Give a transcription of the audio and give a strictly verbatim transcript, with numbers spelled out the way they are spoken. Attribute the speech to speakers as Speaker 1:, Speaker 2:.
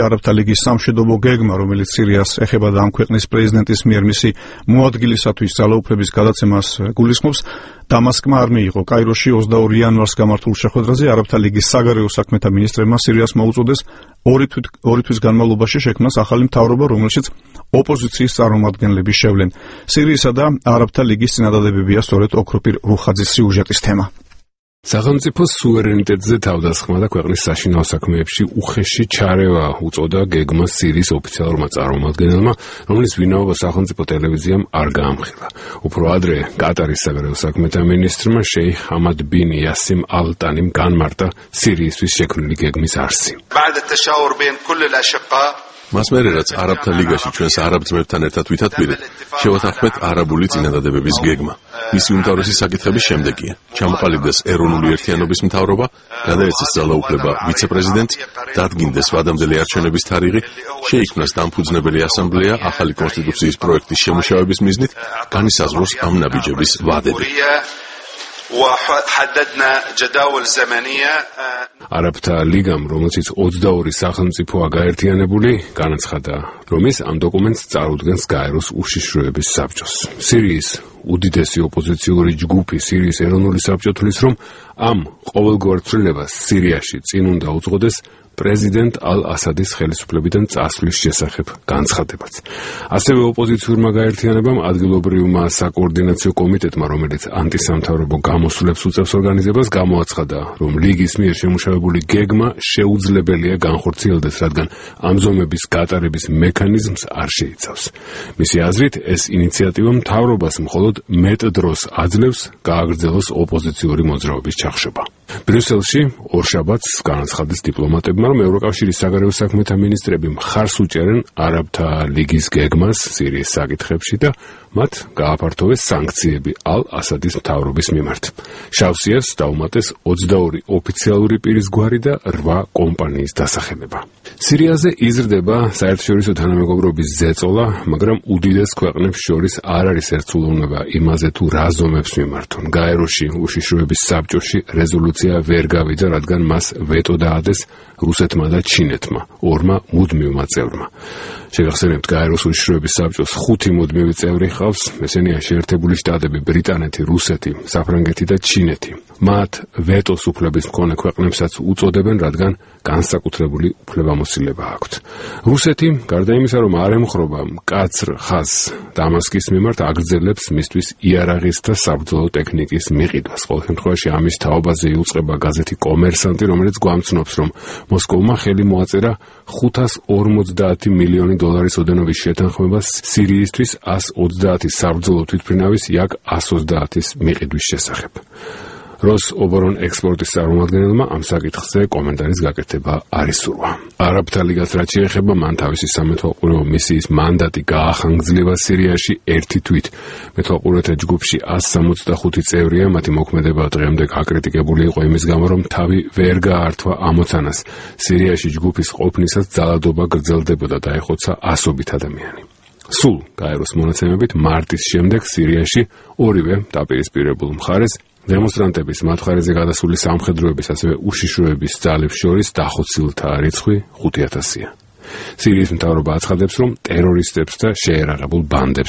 Speaker 1: არაბთა ლიგის სამშვიდობო გეგმა, რომელიც სირიას ეხება და ამ ქვეყნის პრეზიდენტის მიერ მისი მოადგილისათვის ძალაუფლების გადაცემას გულისხმობს, დამასკმა არ მიიღო. კაიროში ოცდაორი იანვარს გამართულ შეხვედრაზე არაბთა ლიგის საგარეო საქმეთა მინისტრებმა სირიას მოუწოდეს ორი თვის განმავლობაში შექმნას ახალი მთავრობა, რომელშიც ოპოზიციის წარმომადგენლები შევლენ. სირიისა და არაბთა ლიგის წინადადებებია სწორედ ოქროპირ რუხაძის სიუჟეტის თემა.
Speaker 2: სახელმწიფოს სუვერენიტეტზე თავდასხმა და ქვეყნის საშინაო საქმეებში უხეში ჩარევა უწოდა გეგმას სირიის ოფიციალურმა წარმომადგენელმა, რომლის ვინაობა სახელმწიფო ტელევიზიამ არ გაამხილა. უფრო ადრე კატარის საგარეო საქმეთა მინისტრმა შეიხ ჰამად ბინ იასიმ ალ-ტანიმ განმარტა სირიისთვის შექმნილი გეგმის არსი.
Speaker 3: მას მერე რაც არაბთა ლიგაში ჩვენს არაბ ძმებთან ერთად ვითათბირეთ, შევათანხმეთ არაბული წინადადებების გეგმა. მისი უმთავრესი საკითხების შემდეგია: ჩამოყალიბდეს ეროვნული ერთიანობის მთავრობა, გადაეცეს ძალაუფლება ვიცე-პრეზიდენტს, დადგინდეს ვადამდელი არჩევნების თარიღი, შეიქმნას დამფუძნებელი ასამბლეა ახალი კონსტიტუციის პროექტის შემუშავების მიზნით, განისაზღვროს ამ ნაბიჯების ვადები.
Speaker 2: არაბთა ლიგამ, რომელშიც ოცდაორი სახელმწიფოა გაერთიანებული, განაცხადა, რომ ის ამ დოკუმენტს წარუდგენს გაეროს უშიშროების საბჭოს. სირიის უდიდესი ოპოზიციური ჯგუფი სირიის ეროვნული საბჭო თვლის, რომ ამ ყოველგვარ ცვლილებას სირიაში წინ უნდა უძღოდეს პრეზიდენტ ალ-ასადის ხელისუფლებიდან წასვლის შესახებ განცხადებაც. ასევე ოპოზიციურმა გაერთიანებამ ადგილობრივმა საკოორდინაციო კომიტეტმა, რომელიც ანტისამთავრობო გამოსვლებს უწევს ორგანიზებას, გამოაცხადა, რომ ლიგის მიერ შემუშავებული გეგმა შეუძლებელია განხორციელდეს, რადგან ამ ზომების გატარების მექანიზმს არ შეიცავს. მისი აზრით, ეს ინიციატივა მთავრობას მხოლოდ მეტ დროს აძლევს გააგრძელოს ოპოზიციური მოძრაობის ჩახშობა. ბრიუსელში ორშაბათს განაცხადეს დიპლომატებმა, რომ ევროკავშირის საგარეო საქმეთა მინისტრები მხარს უჭერენ არაბთა ლიგის გეგმას სირიის საკითხებში და მათ გააფართოვეს სანქციები ალ-ასადის მთავრობის მიმართ. შავსიას დაუმატეს ოცდაორი ოფიციალური პირის გვარი და რვა კომპანიის დასახელება. სირიაზე იზრდება საერთაშორისო თანამეგობრობის ზეწოლა, მაგრამ უდიდეს ქვეყნებს შორის არ არის ერთსულოვნება იმაზე, თუ რა ზომებს მიმართონ. გაეროში უშიშროების საბჭოში რეზოლუცია ვერ გავიდა, რადგან მას ვეტო დაადეს რუსეთმა და ჩინეთმა, ორმა მუდმივმა წევრმა. შეგახსენებთ, გაეროს უშიშროების საბჭოს ხუთი მუდმივი წევრი ჰყავს, ესენია შეერთებული შტატები, ბრიტანეთი, რუსეთი, საფრანგეთი და ჩინეთი. მათ ვეტოს უფლების მქონე ქვეყნებსაც უწოდებენ, რადგან განსაკუთრებული უფლებამოსილება აქვთ. რუსეთი, გარდა იმისა, რომ არ ემხრობა მკაცრ ხაზს დამასკის მიმართ, აგრძელებს მისთვის იარაღის და საბრძოლო ტექნიკის მიყიდვას. ყოველ შემთხვევაში ამის თაობაზე იუწყება გაზეთი კომერსანტი, რომელიც გვამცნობს, რომ მოსკოვმა ხელი მოაწერა ხუთას ორმოცდაათი მილიონი დოლარის ოდენობის შეთანხმებას სირიისთვის ას ოცდაათი საბრძოლო თვითმფრინავის იაკ ას ოცდაათის მიყიდვის შესახებ. როს ობორონ ექსპორტის წარმომადგენელმა ამ საკითხზე კომენტარის გაკეთება არ ისურვა. არაბთა ლიგას რაც შეეხება, მან თავისი სამეთვალყურეო მისიის მანდატი გაახანგრძლივა სირიაში ერთი თვით. მეთვალყურეთა ჯგუფში ას სამოცდახუთი წევრია, მათი მოქმედება დღემდე გაკრიტიკებული იყო იმის გამო, რომ თავი ვერ გაართვა ამოცანას. სირიაში ჯგუფის ყოფნისას ძალადობა გრძელდებოდა და ეხოცა ასობით ადამიანი. სულ გაეროს მონაცემებით მარტის შემდეგ სირიაში ორივე დაპირისპირებულ მხარეს დემონსტრანტების მათ მხარეზე გადასული სამხედროების, ასევე უშიშროების ძალებს შორის დახოცილთა რიცხვი ხუთი ათასია. სირიის მთავრობა აცხადებს, რომ ტერორისტებს და შეერაღებულ ბანდებს